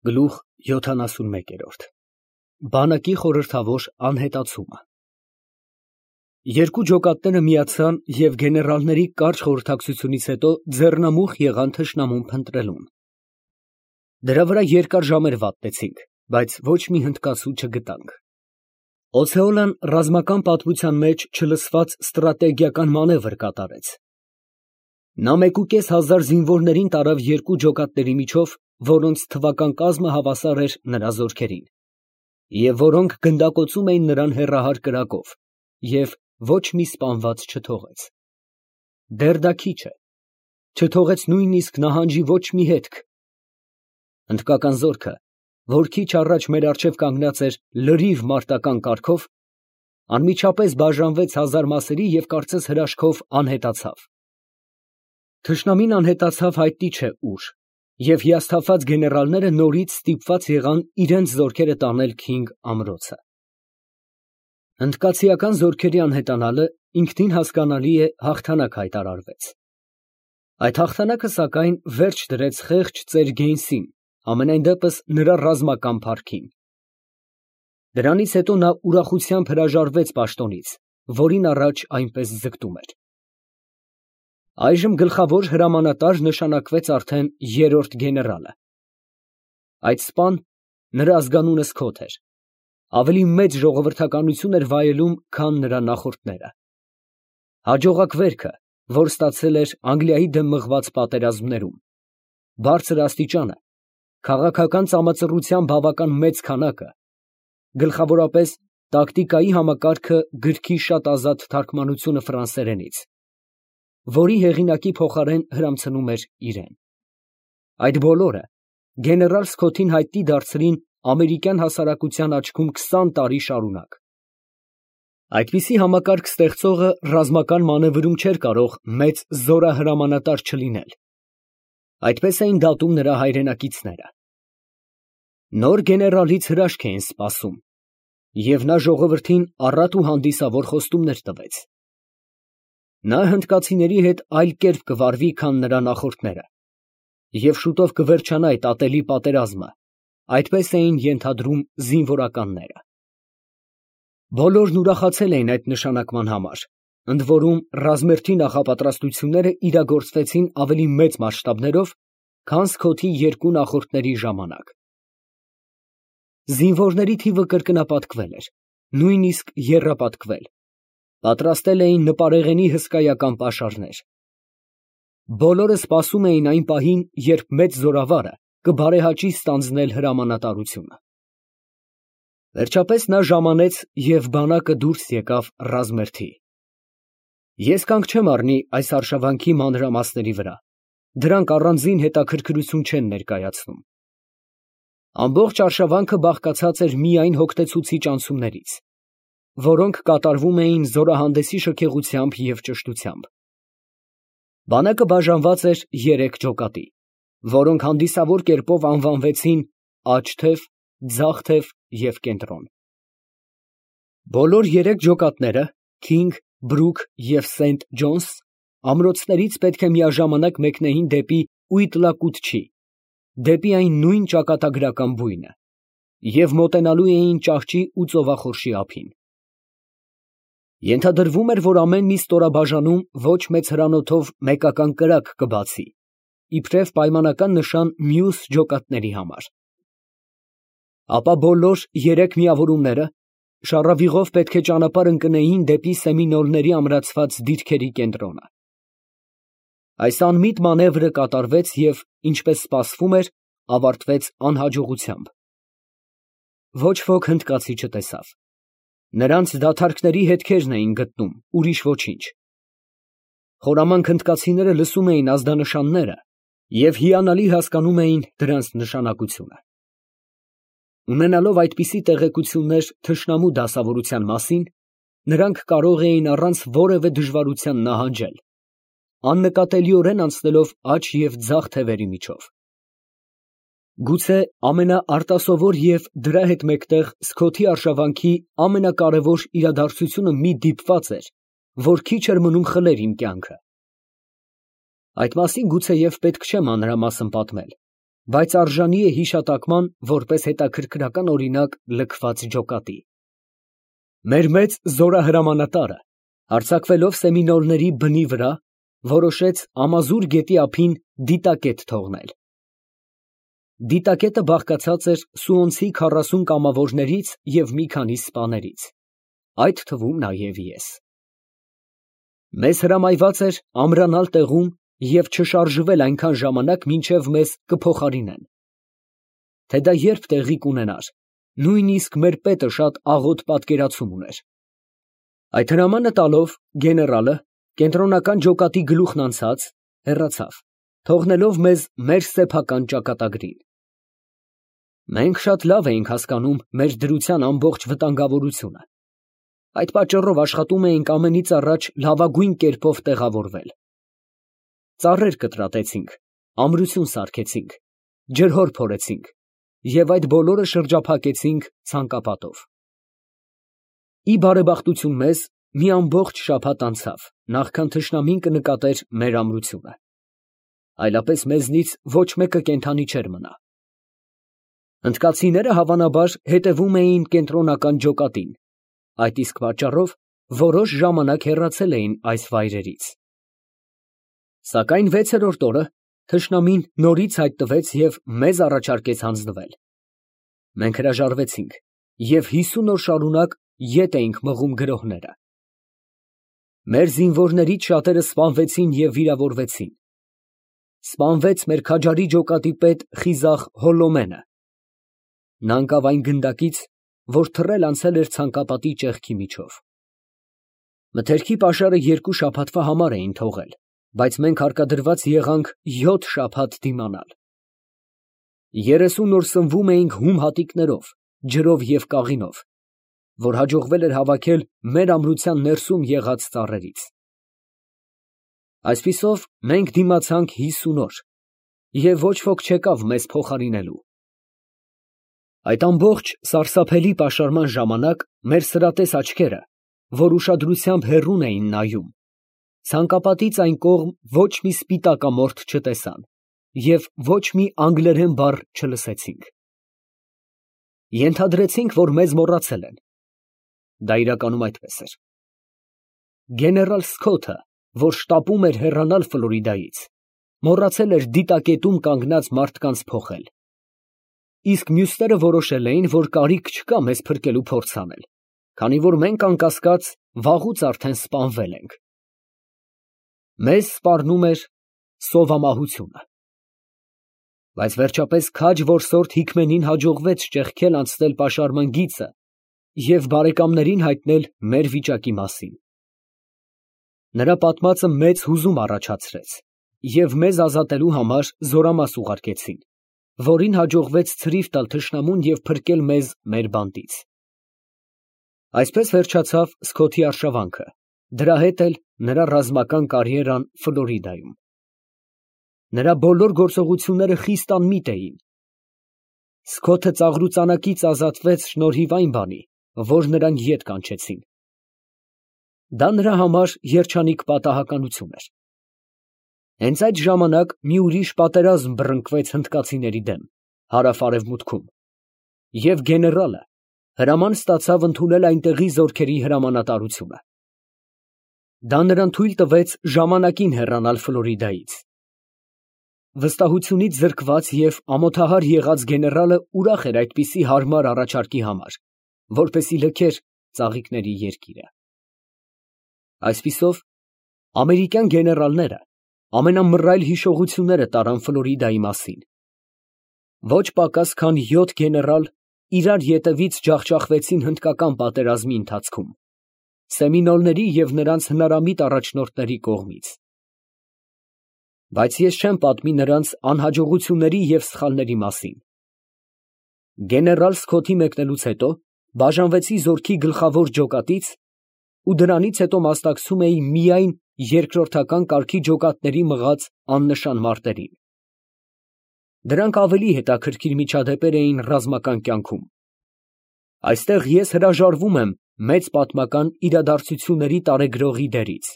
Գլուխ 71 Բանակի խորհրդավոր անհետացումը Երկու ջոկատները միացան և գեներալների կարճ խորհրդակցությունից հետո ձեռնամուխ եղան թշնամուն փնտրելուն։ Դրա վրա երկար ժամեր վատտեցինք, բայց ոչ մի հնդկացու չգտանք։ Օցեոլան ռազմական պատմության մեջ չլսված ստրատեգիական մանևր կատարեց։ Նա 1500 զինվորներին տարավ երկու ջոկատների միջով, որոնց թվական կազմը հավասար էր նրա զորքերին, և որոնք գնդակոծում էին նրան հեռահար կրակով, և ոչ մի սպանված չթողեց։ Դեռ դա քիչ է, չթողեց նույնիսկ նահանջի ոչ մի հետք։ Հնդկական զորքը, որ քիչ առաջ մեր առջև կանգնած էր լրիվ մարտական կարգով, անմիջապես բաժանվեց հազար մասերի և կարծես հրաշքով անհետացավ։ Թշնամին անհետացավ հայտնի չէ ուր, և հիասթափված գեներալները նորից ստիպված եղան իրենց զորքերը տանել Քինգ ամրոցը։ Հնդկացիական զորքերի անհետանալը ինքնին հասկանալի է հաղթանակ հայտարարվեց։ Այդ հաղթանակը, սակայն, վերջ դրեց խեղճ ծեր Գեյնսին, համենայն դեպս նրա ռազմական փառքին։ Դրանից հետո նա ուրախությամբ հրաժարվեց պաշտոնից, որին առաջ այնպես ձգտում էր։ Այժմ գլխավոր հրամանատար նշանակվեց արդեն երրորդ գեներալը։ Այդ սպան, նրա ազգանունը Սքոթ էր, ավելի մեծ ժողովրդականություն էր վայելում, քան նրա նախորդները։ Հաջողակ վերքը, որ ստացել էր Անգլիայի դեմ մղված պատերազմներում, բարձր աստիճանը, քաղաքական ծամածռության բավական մեծ քանակը, գլխավորապես տակտիկայի համակարգը գրքի շատ ազատ թարգմանությունը ֆրանսերենից, որի հեղինակի փոխարեն հրամցնում էր իրեն։ Այդ բոլորը գեներալ Սքոթին հայտնի դարձրին ամերիկյան հասարակության աչքում 20 տարի շարունակ։ Այդպիսի համակարգ ստեղծողը ռազմական մանևրում չէր կարող մեծ զորահրամանատար չլինել։ Այդպես էին դատում նրա հայրենակիցները։ Նոր գեներալից հրաշք էին սպասում, և նա ժողովրդին առատ ու հանդիսավոր խոստումներ տվեց։ Նա հնդկացիների հետ այլ կերպ կվարվի, քան նրա նախորդները, և շուտով կվերջանա այդ ատելի պատերազմը, այդպես էին ենթադրում զինվորականները։ Բոլորն ուրախացել էին այդ նշանակման համար, ընդ որում ռազմերթի նախապատրաստությունները իրագործվեցին ավելի մեծ մասշտաբներով, քան Սքոթի երկու նախորդների ժամանակ։ Զինվորների թիվը կրկնապատկվել էր, նույնիսկ եռապատկվել, պատրաստել էին նպարեղենի հսկայական պաշարներ։ Բոլորը սպասում էին այն պահին, երբ մեծ զորավարը կբարեհաճի ստանձնել հրամանատարությունը։ Վերջապես նա ժամանեց և բանակը դուրս եկավ ռազմերթի։ Ես կանգ չեմ առնի այս արշավանքի մանրամասների վրա, դրանք առանձին հետաքրքրություն չեն ներկայացնում։ Ամբողջ արշավանքը բաղկացած էր միայն հոգնեցուցիչ անցումներից, որոնք կատարվում էին զորահանդեսի շքեղությամբ և ճշտությամբ։ Բանակը բաժանված էր 3 ջոկատի, որոնք հանդիսավոր կերպով անվանվեցին աջ թև, ձախ թև և կենտրոն։ Բոլոր 3 ջոկատները՝ Քինգ, Բրուք և Սենթ Ջոնս, ամրոցներից պետք է միաժամանակ մեկնեին դեպի Ուիտլակուտչի, դեպի այն նույն ճակատագրական բույնը, և մոտենալու էին ճահճի ու ծովախորշի ափին։ Ենթադրվում էր, որ ամեն մի ստորաբաժանում ոչ մեծ հրանոթով մեկական կրակ կբացի, իբրև պայմանական նշան մյուս ջոկատների համար։ Ապա բոլոր 3 միավորումները շառավիղով պետք է ճանապարհ ընկնեին դեպի Սեմինոլների ամրացված դիրքերի կենտրոնը։ Այս անմիտ մանևրը կատարվեց և, ինչպես սպասվում էր, ավարտվեց անհաջողությամբ։ Ոչ ոք հնդկացի չտեսավ։ Նրանց դադարքների հետքերն էին գտնում, ուրիշ ոչինչ։ Խորամանկ հնդկացիները լսում էին ազդանշանները և հիանալի հասկանում էին դրանց նշանակությունը։ Ունենալով այդպիսի տեղեկություններ թշնամու դասավորության մասին, նրանք կարող էին առանց որևէ դժվարության նահանջել, աննկատելիորեն անցնելով աջ և ձախ թևերի միջով։ Գուցե ամենաարտասովոր և դրա հետ մեկտեղ Սքոթի արշավանքի ամենակարևոր իրադարձությունը մի դիպված էր, որ քիչ էր մնում խլեր իմ կյանքը։ Այդ մասին գուցեև պետք չէ մանրամասն պատմել, բայց արժանի է հիշատակման որպես հետաքրքրական օրինակ լքված ջոկատի։ Մեր մեծ զորահրամանատարը, հարձակվելով սեմինոլների բնի վրա, որոշեց Ամազուր գետի ափին դիտակետ թողնել։ Դիտակետը բաղկացած էր Սուոնցի 40 կամավորներից և մի քանի սպաներից, այդ թվում նաև ես։ Մեզ հրամայված էր ամրանալ տեղում և չշարժվել այնքան ժամանակ, մինչև մեզ կփոխարինեն։ Թե դա երբ տեղի կունենար, նույնիսկ մեր պետը շատ աղոտ պատկերացում ուներ։ Այդ հրամանը տալով, գեներալը, կենտրոնական ջոկատի գլուխն անցած, հեռացավ, թողնելով մեզ մեր սեփական ճակատագրին։ Մենք շատ լավ էինք հասկանում մեր դրության ամբողջ վտանգավորությունը։ Այդ պատճառով աշխատում էինք ամենից առաջ լավագույն կերպով տեղավորվել։ Ծառեր կտրատեցինք, ամրություն սարքեցինք, ջրհոր փորեցինք և այդ բոլորը շրջափակեցինք ցանկապատով։ Ի բարեբախտություն մեզ, մի ամբողջ շաբաթ անցավ, նախքան թշնամին կնկատեր մեր ամրությունը։ Այլապես մեզնից ոչ մեկը կենդանի չէր մնա։ Հնդկացիները հավանաբար հետևում էին կենտրոնական ջոկատին, այդ իսկ պատճառով որոշ ժամանակ հեռացել էին այս վայրերից։ Սակայն 6-րդ օրը թշնամին նորից հայտնվեց և մեզ առաջարկեց հանձնվել։ Մենք հրաժարվեցինք և 50 օր շարունակ ետ էինք մղում գրոհները։ Մեր զինվորներից շատերը սպանվեցին և վիրավորվեցին։ Սպանվեց մեր քաջարի ջոկատի պետ խիզախ Հոլոմենը։ Նա ընկավ այն գնդակից, որ թռել անցել էր ցանկապատի ճեղքի միջով։ Մթերքի պաշարը 2 շաբաթվա համար էին թողել, բայց մենք հարկադրված եղանք 7 շաբաթ դիմանալ։ 30 օր սնվում էինք հում հատիկներով, ջրով և կաղինով, որ հաջողվել էր հավաքել մեր ամրության ներսում եղած ծառերից։ Այսպիսով մենք դիմացանք 50 օր, և ոչ ոք չեկավ մեզ փոխարինելու։ Այդ ամբողջ սարսափելի պաշարման ժամանակ մեր սրատես աչքերը, որ ուշադրությամբ հեռուն էին նայում, ցանկապատից այն կողմ ոչ մի սպիտակամորթ չտեսան և ոչ մի անգլերեն բառ չլսեցինք։ Ենթադրեցինք, որ մեզ մոռացել են։ Դա իրականում այդպես էր։ Գեներալ Սքոթը, որ շտապում էր հեռանալ Ֆլորիդայից, մոռացել էր դիտակետում կանգնած մարդկանց փոխել։ Իսկ մյուսները որոշել էին, որ կարիք չկա մեզ փրկելու փորձ անել, քանի որ մենք անկասկած վաղուց արդեն սպանվել ենք։ Մեզ սպառնում էր սովամահությունը։ Բայց վերջապես քաջ որսորդ Հիկմենին հաջողվեց ճեղքել անցնել պաշարման գիծը և բարեկամներին հայտնել մեր վիճակի մասին։ Նրա պատմածը մեծ հուզում առաջացրեց, և մեզ ազատելու համար զորամաս ուղարկեցին, որին հաջողվեց ցրիվ տալ թշնամուն և փրկել մեզ մեր բանտից։ Այսպես վերջացավ Սքոթի արշավանքը, դրա հետ էլ նրա ռազմական կարիերան Ֆլորիդայում։ Նրա բոլոր գործողությունները խիստ անմիտ էին։ Սքոթը ծաղրուծանակից ազատվեց շնորհիվ այն բանի, որ նրան ետ կանչեցին։ Դա նրա համար երջանիկ պատահականություն էր։ Հենց այդ ժամանակ մի ուրիշ պատերազմ բռնկվեց հնդկացիների դեմ հարավ֊արևմուտքում, և գեներալը հրաման ստացավ ընդունել այնտեղի զորքերի հրամանատարությունը։ Դա նրան թույլ տվեց ժամանակին հեռանալ Ֆլորիդայից։ Վստահությունից զրկված և ամոթահար եղած գեներալը ուրախ էր այդպիսի հարմար առաջարկի համար, որպեսզի լքեր ծաղիկների երկիրը։ Այսպիսով, ամերիկյան գեներալները ամենամռայլ հիշողությունները տարան Ֆլորիդայի մասին։ Ոչ պակաս քան 7 գեներալ իրար ետևից ջախջախվեցին հնդկական պատերազմի ընթացքում, սեմինոլների և նրանց հնարամիտ առաջնորդների կողմից։ Բայց ես չեմ պատմի նրանց անհաջողությունների և սխալների մասին։ Գեներալ Սքոթի մեկնելուց հետո բաժանվեցի զորքի գլխավոր ջոկատից ու դրանից հետո մասնակցում էի միայն երկրորդական կարգի ջոկատների մղած աննշան մարտերին։ Դրանք ավելի հետաքրքիր միջադեպեր էին ռազմական կյանքում։ Այստեղ ես հրաժարվում եմ մեծ պատմական իրադարձությունների տարեգրողի դերից։